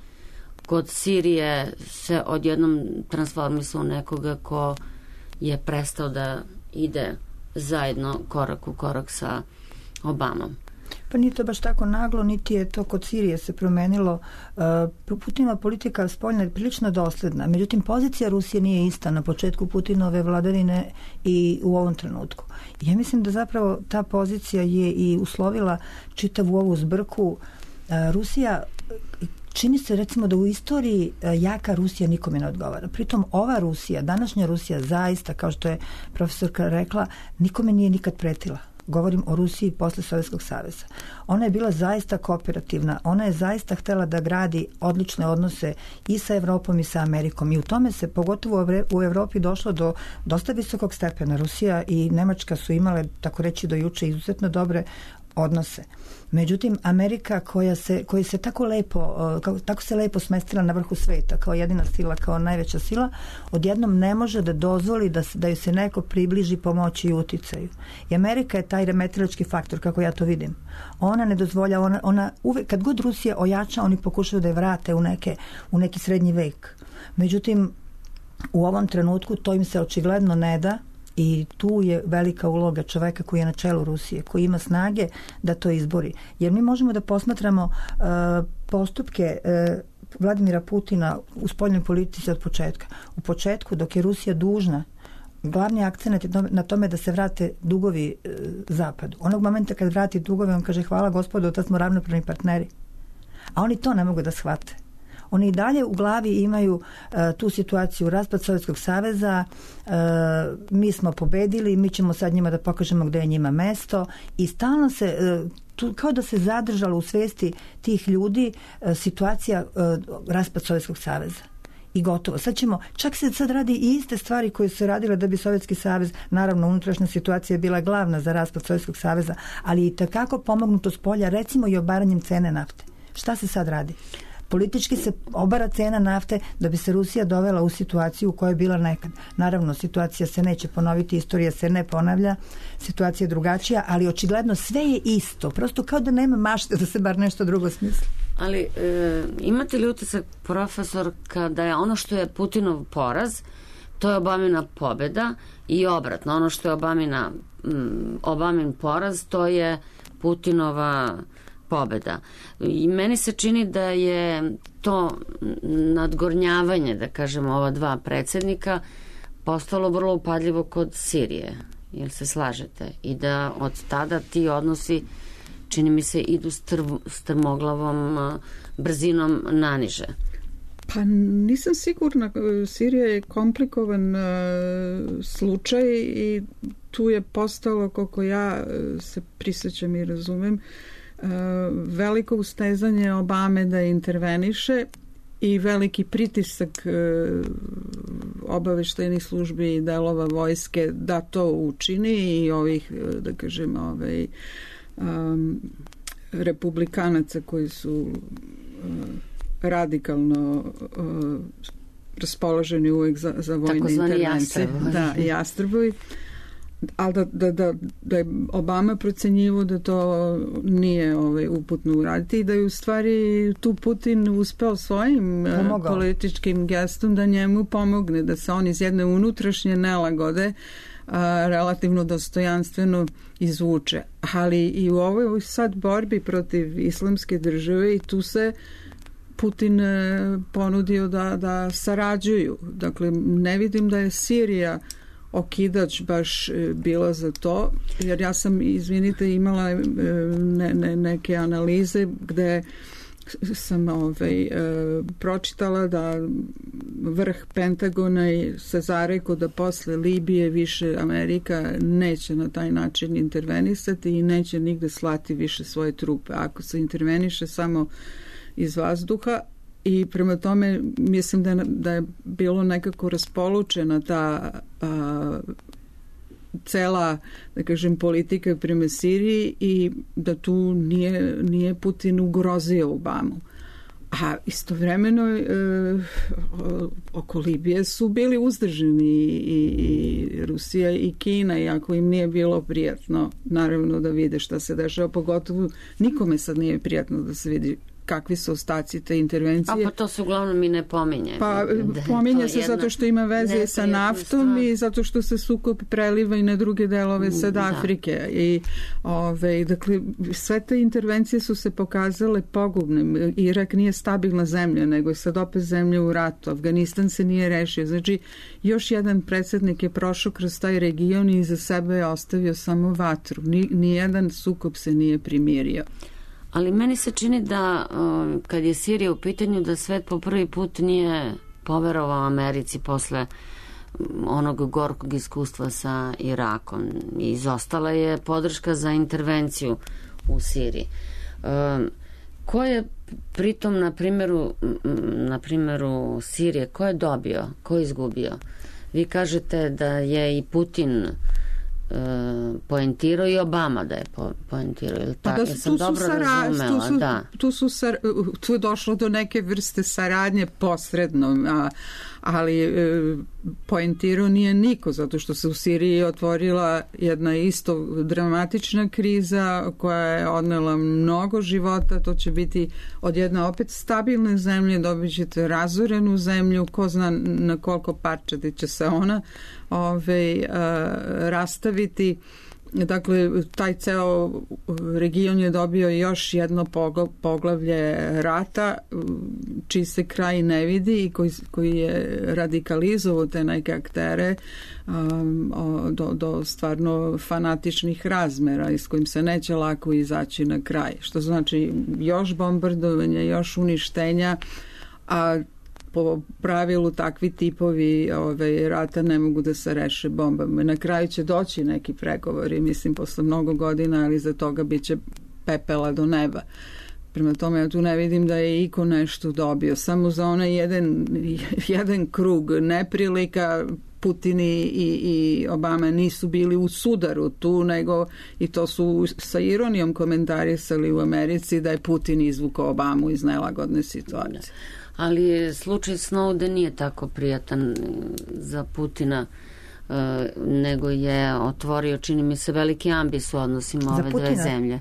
[SPEAKER 2] Kod Sirije se odjednom transformisao nekoga ko je prestao da ide zajedno korak u korak sa Obamom.
[SPEAKER 3] Pa nije to baš tako naglo, niti je to kod Sirije se promenilo. Putinova politika spoljna je prilično dosledna, međutim pozicija Rusije nije ista na početku Putinove vladavine i u ovom trenutku. Ja mislim da zapravo ta pozicija je i uslovila čitavu ovu zbrku. Rusija, čini se recimo da u istoriji jaka Rusija nikome ne odgovara. Pritom ova Rusija, današnja Rusija zaista, kao što je profesorka rekla, nikome nije nikad pretila. Govorim o Rusiji posle Sovjetskog saveza. Ona je bila zaista kooperativna, ona je zaista htela da gradi odlične odnose i sa Evropom i sa Amerikom i u tome se pogotovo u Evropi došlo do dosta visokog stepena. Rusija i Nemačka su imale, tako reći do juče, izuzetno dobre odnose. Međutim, Amerika koja se tako se lepo smestila na vrhu sveta, kao jedina sila, kao najveća sila, odjednom ne može da dozvoli da joj se neko približi pomoći i uticaju. I Amerika je taj remetilački faktor, kako ja to vidim. Ona ne dozvolja, ona uvek, kad god Rusija ojača, oni pokušaju da je vrate u neki srednji vek. Međutim, u ovom trenutku to im se očigledno ne da. I tu je velika uloga čoveka koji je na čelu Rusije, koji ima snage da to izbori. Jer mi možemo da posmatramo postupke Vladimira Putina u spoljnoj politici od početka. U početku, dok je Rusija dužna, glavni akcent je na tome da se vrate dugovi Zapadu. Onog momenta kad vrati dugove, on kaže hvala gospodo, da smo ravnopravni partneri. A oni to ne mogu da shvate. Oni i dalje u glavi imaju tu situaciju raspad Sovjetskog saveza, mi smo pobedili, mi ćemo sad njima da pokažemo gde je njima mesto i stalno se kao da se zadržala u svesti tih ljudi situacija raspad Sovjetskog saveza. I gotovo. Čak se sad radi i iste stvari koje su se radile da bi Sovjetski savez, naravno unutrašnja situacija je bila glavna za raspad Sovjetskog saveza, ali i takako pomognuto s polja, recimo i obaranjem cene nafte. Šta se sad radi? Politički se obara cena nafte da bi se Rusija dovela u situaciju u kojoj je bila nekad. Naravno, situacija se neće ponoviti, istorija se ne ponavlja, situacija je drugačija, ali očigledno sve je isto. Prosto kao da nema mašte da se bar nešto drugo smisli.
[SPEAKER 2] Ali imate li utisak, profesor, kada je ono što je Putinov poraz, to je Obamina pobjeda i obratno, ono što je Obamin poraz, to je Putinova pobjeda. I meni se čini da je to nadgornjavanje, da kažemo, ova dva predsjednika postalo vrlo upadljivo kod Sirije. Jel se slažete? I da od tada ti odnosi, čini mi se, idu strmoglavom brzinom naniže.
[SPEAKER 4] Pa nisam sigurna. Sirija je komplikovan slučaj i tu je postalo, koliko ja se prisjećam i razumem, veliko ustezanje Obame da interveniše i veliki pritisak obaveštajnih službi i delova vojske da to učini i ovih, da kažem, republikanaca koji su radikalno raspoloženi uvek za vojne intervencije. Da, jastrbovi. Ali da je Obama procenjivo da to nije uputno uraditi i da je u stvari tu Putin uspeo svojim političkim gestom da njemu pomogne, da se on iz jedne unutrašnje nelagode relativno dostojanstveno izvuče. Ali i u ovoj sad borbi protiv islamske države i tu se Putin ponudio da sarađuju. Dakle, ne vidim da je Sirija okidač baš bila za to, jer ja sam, izvinite, imala neke analize gde sam pročitala da vrh Pentagona se zarekao da posle Libije više Amerika neće na taj način intervenisati i neće nigde slati više svoje trupe. Ako se interveniše samo iz vazduha, i prema tome mislim da je bilo nekako raspolučena ta cela, da kažem, politika prema Siriji i da tu nije Putin ugrozio Obamu. A istovremeno oko Libije su bili uzdržani i Rusija i Kina, iako im nije bilo prijatno naravno da vide šta se dešava, pogotovo nikome sad nije prijatno da se vidi kakvi su ostaci te intervencije.
[SPEAKER 2] Pa to se uglavnom i ne pominje. Pa
[SPEAKER 4] pominje se zato što ima veze sa naftom i zato što se sukob preliva i na druge delove sad Afrike. I, dakle, sve te intervencije su se pokazale pogubnim. Irak nije stabilna zemlja, nego je sad opet zemlja u ratu. Afganistan se nije rešio. Znači, još jedan predsjednik je prošao kroz taj region i iza sebe je ostavio samo vatru. Nijedan sukob se nije primirio.
[SPEAKER 2] Ali meni se čini da kad je Sirija u pitanju da svet po prvi put nije poverovao Americi posle onog gorkog iskustva sa Irakom. Izostala je podrška za intervenciju u Siriji. Ko je pritom na primjeru Sirije, ko je dobio, ko je izgubio? Vi kažete da je i Putin poentirao i Obama da je poentirao.
[SPEAKER 4] Tu je došlo do neke vrste saradnje posredno, ali poentirao nije niko, zato što se u Siriji otvorila jedna isto dramatična kriza koja je odnela mnogo života. To će biti od jedne opet stabilne zemlje, dobit ćete razorenu zemlju, ko zna na koliko parčadi će se ona rastaviti. Dakle, taj ceo region je dobio još jedno poglavlje rata, čiji se kraj ne vidi i koji je radikalizovao te neke aktere do stvarno fanatičnih razmera i s kojim se neće lako izaći na kraj. Što znači još bombardovanja, još uništenja, a po pravilu takvi tipovi rata ne mogu da se reše bombama. Na kraju će doći neki pregovori, mislim, posle mnogo godina, ali za toga biće pepela do neba. Prema tome, ja tu ne vidim da je iko nešto dobio. Samo za onaj jedan krug neprilika Putin i Obama nisu bili u sudaru tu, nego i to su sa ironijom komentarisali u Americi da je Putin izvukao Obamu iz nelagodne situacije.
[SPEAKER 2] Ali slučaj Snowden nije tako prijatan za Putina, nego je otvorio, čini mi se, veliki ambis u odnosima ove dve zemlje.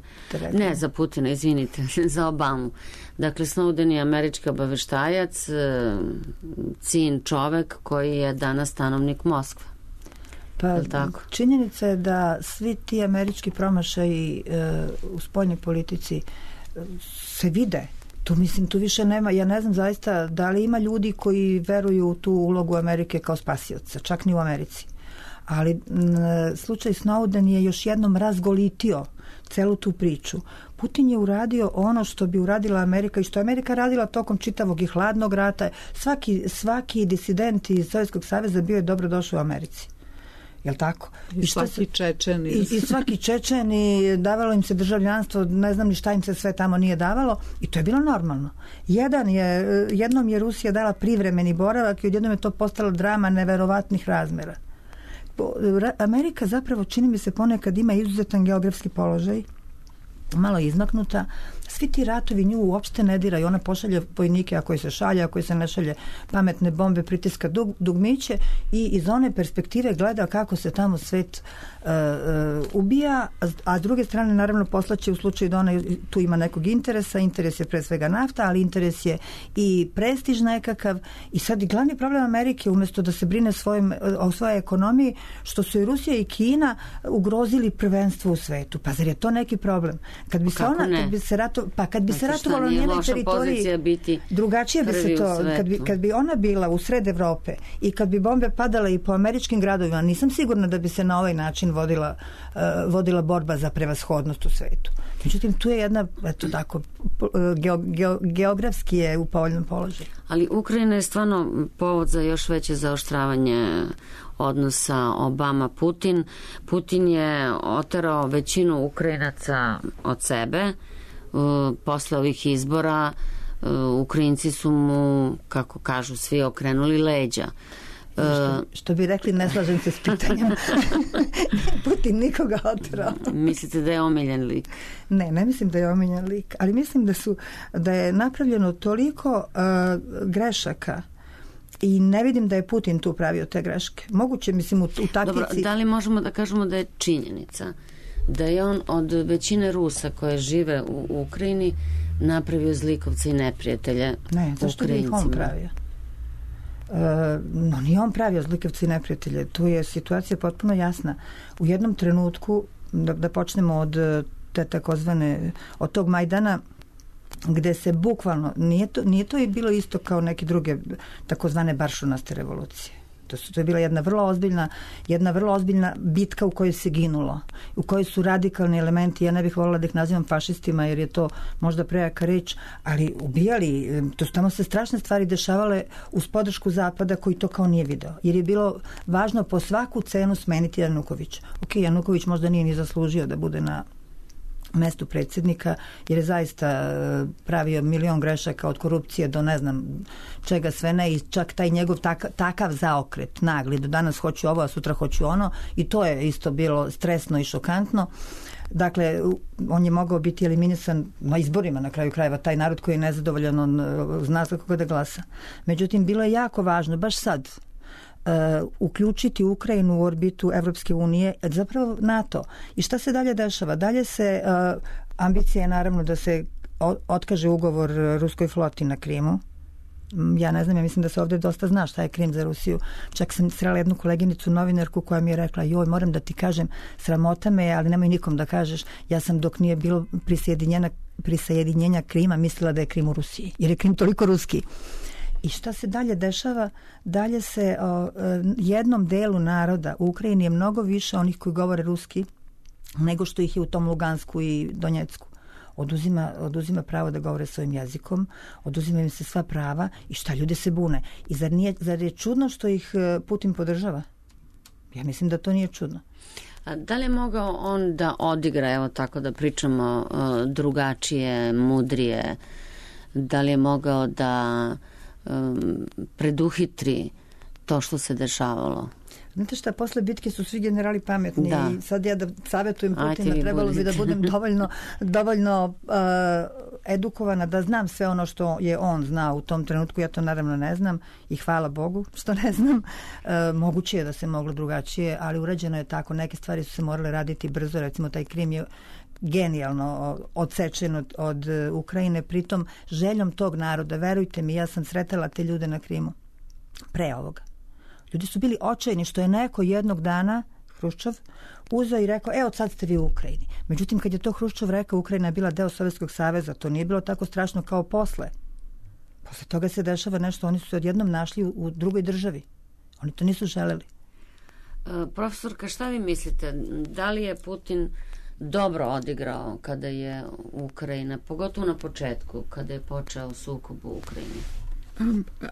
[SPEAKER 2] Ne, za Putina, izvinite, za Obamu. Dakle, Snowden je američki obaveštajac, cin čovek koji je danas stanovnik Moskve.
[SPEAKER 3] Pa, činjenica je da svi ti američki promašaji u spoljnoj politici se vide. Tu više nema, ja ne znam zaista da li ima ljudi koji veruju u tu ulogu Amerike kao spasioca, čak ni u Americi. Ali slučaj Snowden je još jednom razgolitio celu tu priču. Putin je uradio ono što bi uradila Amerika i što je Amerika radila tokom čitavog i hladnog rata. Svaki disident iz Sovjetskog saveza bio je dobrodošao u Americi. Jel tako?
[SPEAKER 4] I svaki Čečen.
[SPEAKER 3] I svaki Čečen i davalo im se državljanstvo, ne znam ni šta im se sve tamo nije davalo i to je bilo normalno. Jednom je Rusija dala privremeni boravak i odjednom je to postalo drama neverovatnih razmera. Amerika zapravo, čini mi se, ponekad ima izuzetan geografski položaj, malo izmaknuta. Svi ti ratovi nju uopšte ne diraju. Ona pošalje vojnike, a koji se šalje, a koji se ne šalje, pametne bombe, pritiska dugmiće i iz one perspektive gleda kako se tamo svet ubija, a s druge strane naravno poslaće u slučaju da ona tu ima nekog interesa. Interes je pre svega nafta, ali interes je i prestiž nekakav. I sad glavni problem Amerike, umjesto da se brine o svojoj ekonomiji, što su i Rusija i Kina ugrozili prvenstvo u svetu. Pa zar je to neki problem? Kad bi se ratovalo na njenoj teritoriji, drugačije bi se to, kad bi ona bila u sred Evrope i kad bi bombe padale i po američkim gradovima, nisam sigurna da bi se na ovaj način vodila borba za prevashodnost u svetu. Međutim, tu je jedna, eto tako, geografski je u povoljnom položaju.
[SPEAKER 2] Ali Ukrajina je stvarno povod za još veće zaoštravanje odnosa Obama-Putin. Putin je oterao većinu Ukrajinaca od sebe. Posle ovih izbora Ukrajinci su mu, kako kažu svi, okrenuli leđa.
[SPEAKER 3] Što bi rekli, ne slažem se s pitanjem. Putin nikoga oterao.
[SPEAKER 2] Mislite da je omiljen lik?
[SPEAKER 3] Ne mislim da je omiljen lik, ali mislim da je napravljeno toliko grešaka i ne vidim da je Putin tu pravio te greške. Moguće, mislim, u taktici...
[SPEAKER 2] Dobro, da li možemo da kažemo da je činjenica da je on od većine Rusa koje žive u Ukrajini napravio zlikovce i neprijatelje Ukrajincima?
[SPEAKER 3] Ne, zašto bi ih on pravio? No, nije on pravio zlikovce i neprijatelje. Tu je situacija potpuno jasna. U jednom trenutku, da počnemo od te takozvane, od tog Majdana, gde se bukvalno, nije to i bilo isto kao neke druge takozvane baršunaste revolucije. To je bila jedna vrlo ozbiljna bitka u kojoj se ginulo, u kojoj su radikalni elementi, ja ne bih voljela da ih nazivam fašistima jer je to možda prejaka reč, ali ubijali, to su tamo se strašne stvari dešavale uz podršku Zapada koji to kao nije video, jer je bilo važno po svaku cenu smeniti Janukovića. Januković možda nije ni zaslužio da bude na mestu predsjednika, jer je zaista pravio milion grešaka od korupcije do ne znam čega sve ne, i čak taj njegov takav zaokret nagli, do danas hoću ovo, a sutra hoću ono, i to je isto bilo stresno i šokantno. Dakle, on je mogao biti eliminisan na izborima, na kraju krajeva, taj narod koji je nezadovoljan, on zna za koga da glasa. Međutim, bilo je jako važno, baš sad, uključiti Ukrajinu u orbitu Evropske unije, zapravo NATO. I šta se dalje dešava? Dalje se ambicija je naravno da se otkaže ugovor ruskoj floti na Krimu. Ja ne znam, ja mislim da se ovdje dosta zna šta je Krim za Rusiju. Čak sam srela jednu koleginicu, novinarku, koja mi je rekla, joj, moram da ti kažem, sramota me, ali nemoj nikom da kažeš, ja sam dok nije bilo prisjedinjenja Krima mislila da je Krim u Rusiji, jer je Krim toliko ruski. I šta se dalje dešava? Dalje se jednom delu naroda u Ukrajini je mnogo više onih koji govore ruski nego što ih je u tom Lugansku i Donjecku. Oduzima pravo da govore svojim jezikom, oduzima im se sva prava i šta, ljudi se bune. I zar je čudno što ih Putin podržava? Ja mislim da to nije čudno.
[SPEAKER 2] A da li je mogao on da odigra, evo tako da pričamo, drugačije, mudrije, da li je mogao da preduhitri to što se dešavalo?
[SPEAKER 3] Znate šta, posle bitke su svi generali pametni i sad ja da savjetujem Putina, trebalo bi da budem dovoljno edukovana, da znam sve ono što je on znao u tom trenutku. Ja to naravno ne znam i hvala Bogu što ne znam. Moguće je da se moglo drugačije, ali urađeno je tako. Neke stvari su se morale raditi brzo, recimo taj Krim je genijalno odsečen od Ukrajine, pritom željom tog naroda. Verujte mi, ja sam sretala te ljude na Krimu pre ovoga. Ljudi su bili očajni što je neko jednog dana, Hruščov, uzeo i rekao, evo sad ste vi u Ukrajini. Međutim, kad je to Hruščov rekao, Ukrajina je bila deo Sovjetskog saveza, to nije bilo tako strašno kao posle. Posle toga se dešava nešto, oni su se odjednom našli u drugoj državi. Oni to nisu želeli.
[SPEAKER 2] Profesorka, šta vi mislite? Da li je Putin dobro odigrao kada je Ukrajina, pogotovo na početku, kada je počeo sukob u Ukrajini?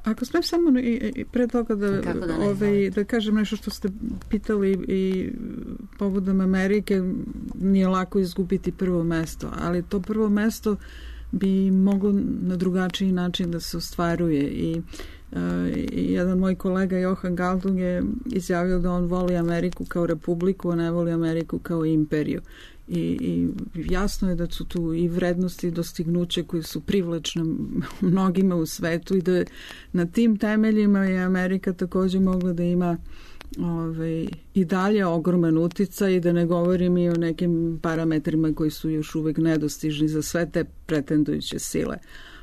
[SPEAKER 4] Ako smem samo i pre toga da kažem nešto što ste pitali i povodom Amerike, nije lako izgubiti prvo mesto, ali to prvo mesto bi moglo na drugačiji način da se ostvaruje i jedan moj kolega Johan Galtung je izjavio da on voli Ameriku kao republiku, a ne voli Ameriku kao imperiju. I jasno je da su tu i vrednosti i dostignuće koje su privlačne mnogima u svetu i da na tim temeljima je Amerika također mogla da ima i dalje ogroman uticaj i da ne govorim i o nekim parametrima koji su još uvek nedostižni za sve te pretendujuće sile.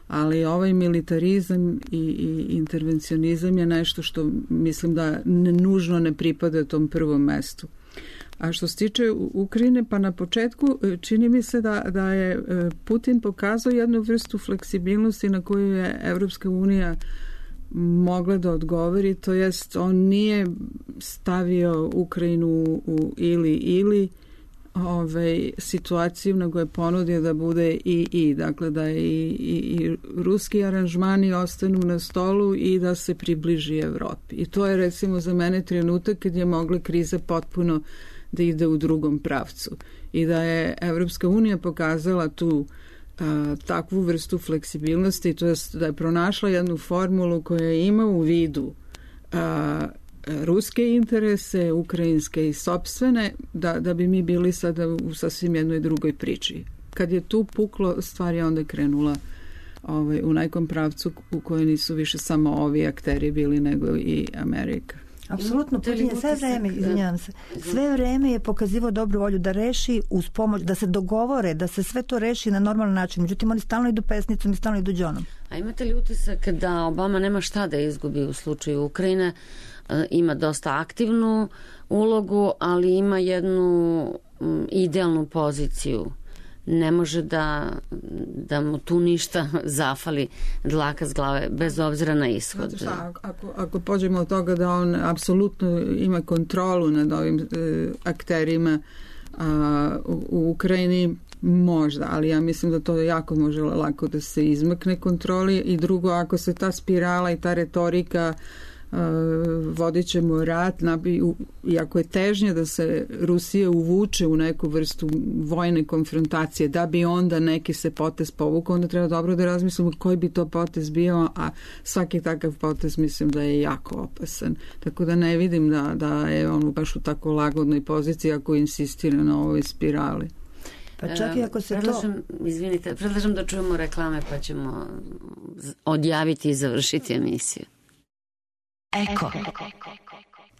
[SPEAKER 4] Ali ovaj militarizam i intervencionizam je nešto što mislim da nužno ne pripada tom prvom mestu. A što se tiče Ukrajine, pa na početku čini mi se da je Putin pokazao jednu vrstu fleksibilnosti na koju je Evropska unija mogla da odgovori, to jest on nije stavio Ukrajinu u ili situaciju, nego je ponudio da bude i dakle da i ruski aranžmani ostanu na stolu i da se približi Evropi. I to je recimo za mene trenutak kad je mogla kriza potpuno da ide u drugom pravcu i da je Evropska unija pokazala tu takvu vrstu fleksibilnosti, to jest da je pronašla jednu formulu koja ima u vidu ruske interese, ukrajinske i sopstvene, da bi mi bili sada u sasvim jednoj drugoj priči. Kad je tu puklo, stvar je onda krenula u nekom pravcu u kojoj nisu više samo ovi akteri bili, nego i Amerika.
[SPEAKER 3] Apsolutno, Putin je sve vreme, izvinjavam se, sve vreme je pokazivao dobru volju da reši uz pomoć, da se dogovore, da se sve to reši na normalan način. Međutim, oni stalno idu pesnicom i stalno idu džonom.
[SPEAKER 2] A imate li utisak da Obama nema šta da izgubi u slučaju Ukrajine? Ima dosta aktivnu ulogu, ali ima jednu idealnu poziciju. Ne može da mu tu ništa zafali dlaka s glave, bez obzira na ishod.
[SPEAKER 4] Šta, ako pođemo od toga da on apsolutno ima kontrolu nad ovim akterima u Ukrajini, možda, ali ja mislim da to jako može lako da se izmakne kontroli. I drugo, ako se ta spirala i ta retorika vodit ćemo rat, iako je težnje da se Rusija uvuče u neku vrstu vojne konfrontacije, da bi onda neki se potez povukao, onda treba dobro da razmislimo koji bi to potez bio, a svaki takav potez mislim da je jako opasan. Tako da ne vidim da je on baš u tako lagodnoj poziciji ako insistira na ovoj spirali.
[SPEAKER 3] Pa čak i ako se
[SPEAKER 2] predlažem da čujemo reklame pa ćemo odjaviti i završiti emisiju.
[SPEAKER 5] Eko.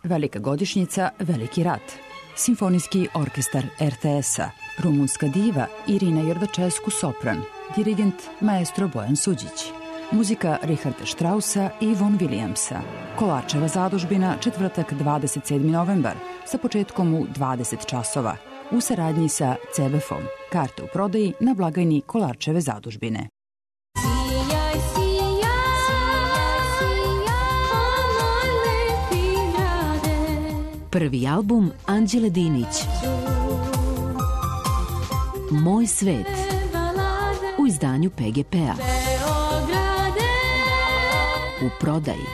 [SPEAKER 5] Velika godišnjica, veliki rat. Simfonijski orkestar RTS-a. Rumunska diva Irina Jerdačesku sopran. Dirigent maestro Bojan Suđić. Muzika Richarda Straussa i Von Williamsa. Kolarčeva zadužbina, četvrtak 27. novembar, sa početkom u 20 časova. U saradnji sa CBF-om. Karte u prodaji na blagajni Kolarčeve zadužbine. Prvi album Anđele Dinić. Moj svet. U izdanju PGP-a. U prodaji.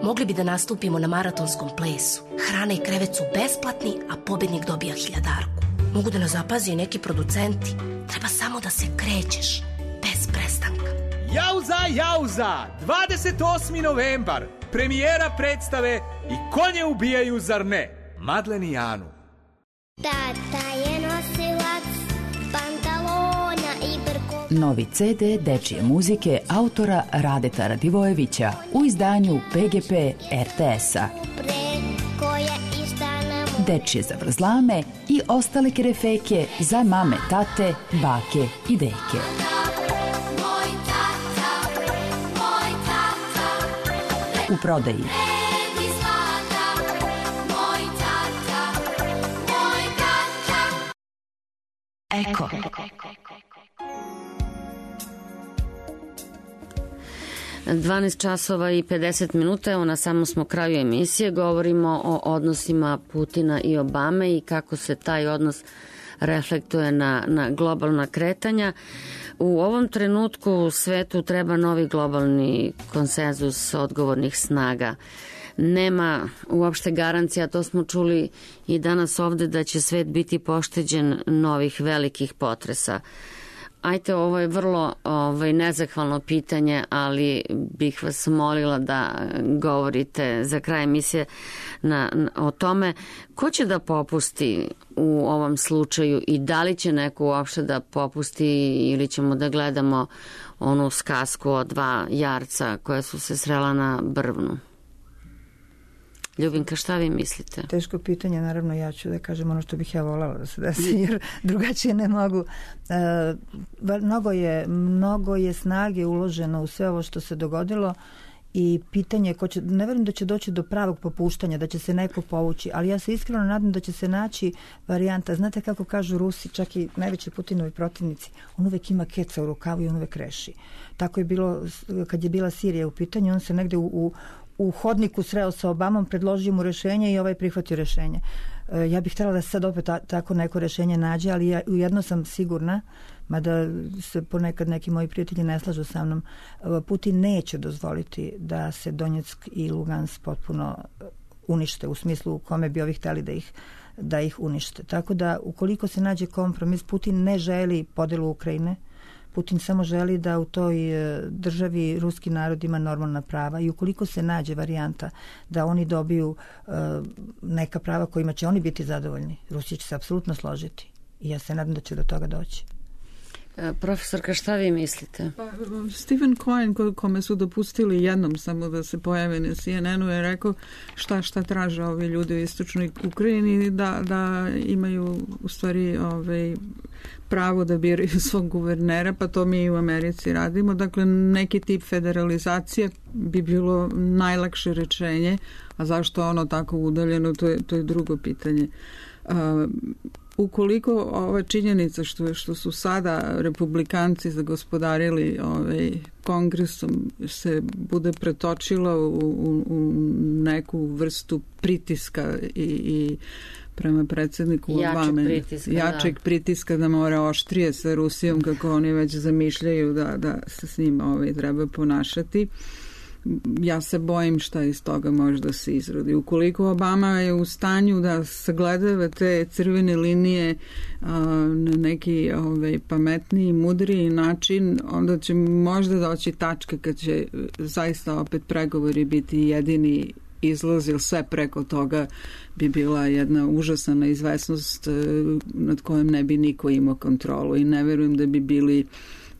[SPEAKER 6] Mogli bi da nastupimo na maratonskom plesu. Hrana i krevet su besplatni, a pobednik dobija 1000-arku. Mogu da nas zapazi i neki producenti. Treba samo da se krećeš, bez prestanka.
[SPEAKER 7] Jauza, 28. novembar, premijera predstave I konje ubijaju, zar ne? Madlen i Anu.
[SPEAKER 8] Tata je nosilac pantalona I brko.
[SPEAKER 5] Novi CD dečije muzike autora Radeta Radivojevića u izdanju PGP RTS-a. Dečije zavrzlame I ostale kerefeke za mame, tate, bake I deke. U prodaji Eko.
[SPEAKER 2] Dvanaest časova I 50 minuta, evo na samom smo kraju emisije, govorimo o odnosima Putina I Obame I kako se taj odnos reflektuje na globalna kretanja. U ovom trenutku u svetu treba novi globalni konsenzus odgovornih snaga. Nema uopšte garancija, to smo čuli I danas ovde, da će svet biti pošteđen novih velikih potresa. Ajte, ovo je vrlo nezahvalno pitanje, ali bih vas molila da govorite za kraj emisije o tome ko će da popusti u ovom slučaju I da li će neko uopšte da popusti ili ćemo da gledamo onu skasku o dva jarca koja su se srela na brvnu. Ljubinka, šta vi mislite?
[SPEAKER 3] Teško pitanje, naravno ja ću da kažem ono što bih ja voljela da se desi, jer drugačije ne mogu. Mnogo je snage uloženo u sve ovo što se dogodilo I pitanje ko će, ne verujem da će doći do pravog popuštanja, da će se neko povući, ali ja se iskreno nadam da će se naći varijanta. Znate kako kažu Rusi, čak I najveći Putinovi protivnici, on uvek ima keca u rukavu I on uvek reši. Tako je bilo kad je bila Sirija u pitanju, on se negde u hodniku sreo sa Obamom, predložio mu rešenje I ovaj prihvatio rešenje. Ja bih htjela da se sad opet tako neko rešenje nađe, ali ja ujedno sam sigurna, mada se ponekad neki moji prijatelji ne slažu sa mnom, Putin neće dozvoliti da se Donjeck I Lugansk potpuno unište, u smislu u kome bi ovi htjeli da ih unište. Tako da ukoliko se nađe kompromis, Putin ne želi podelu Ukrajine, Putin samo želi da u toj državi ruski narod ima normalna prava I ukoliko se nađe varijanta da oni dobiju neka prava kojima će oni biti zadovoljni, Rusija će se apsolutno složiti I ja se nadam da će do toga doći.
[SPEAKER 2] Profesorka, šta vi mislite?
[SPEAKER 4] Stephen Cohen, kome su dopustili jednom samo da se pojave na CNN-u, je rekao šta traže ovi ljudi u istočnoj Ukrajini, da imaju u stvari pravo da biraju svog guvernera, pa to mi u Americi radimo. Dakle, neki tip federalizacije bi bilo najlakše rečenje, a zašto ono tako udaljeno, to je drugo pitanje. Ukoliko ova činjenica što su sada republikanci zagospodarili kongresom se bude pretočila u neku vrstu pritiska i prema predsjedniku Obame, jačeg pritiska da mora oštrije sa Rusijom kako oni već zamišljaju da se s njim treba ponašati. Ja se bojim šta iz toga može da se izrodi. Ukoliko Obama je u stanju da sagledava te crvene linije na neki pametniji, mudriji način, onda će možda doći tačka kad će zaista opet pregovori biti jedini izlaz, jer sve preko toga bi bila jedna užasna neizvesnost nad kojom ne bi niko imao kontrolu I ne verujem da bi bili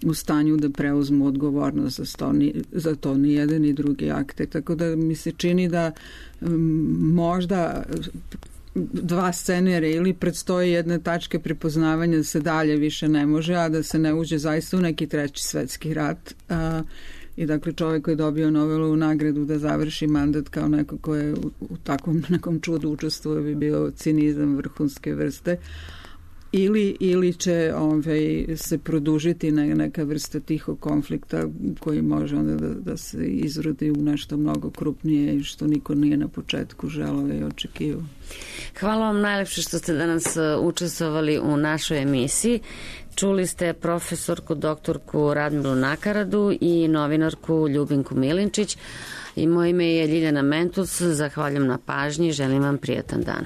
[SPEAKER 4] u stanju da preuzmu odgovornost za to ni jedan ni drugi akte. Tako da mi se čini da možda dva scenarija ili predstoji jedna tačka prepoznavanja da se dalje više ne može, a da se ne uđe zaista u neki treći svetski rat. I dakle čovjek koji je dobio Nobelovu nagradu da završi mandat kao neko ko je u takvom nekom čudu učestvuje bi bio cinizam vrhunske vrste. ili će se produžiti neka vrsta tihog konflikta koji može onda da se izrodi u nešto mnogo krupnije i što niko nije na početku želeo i očekivao.
[SPEAKER 2] Hvala vam najlepše što ste danas učestvovali u našoj emisiji. Čuli ste profesorku doktorku Radmilu Nakaradu i novinarku Ljubinku Milinčić. I moje ime je Ljiljana Mentus. Zahvaljujem na pažnji i želim vam prijatan dan.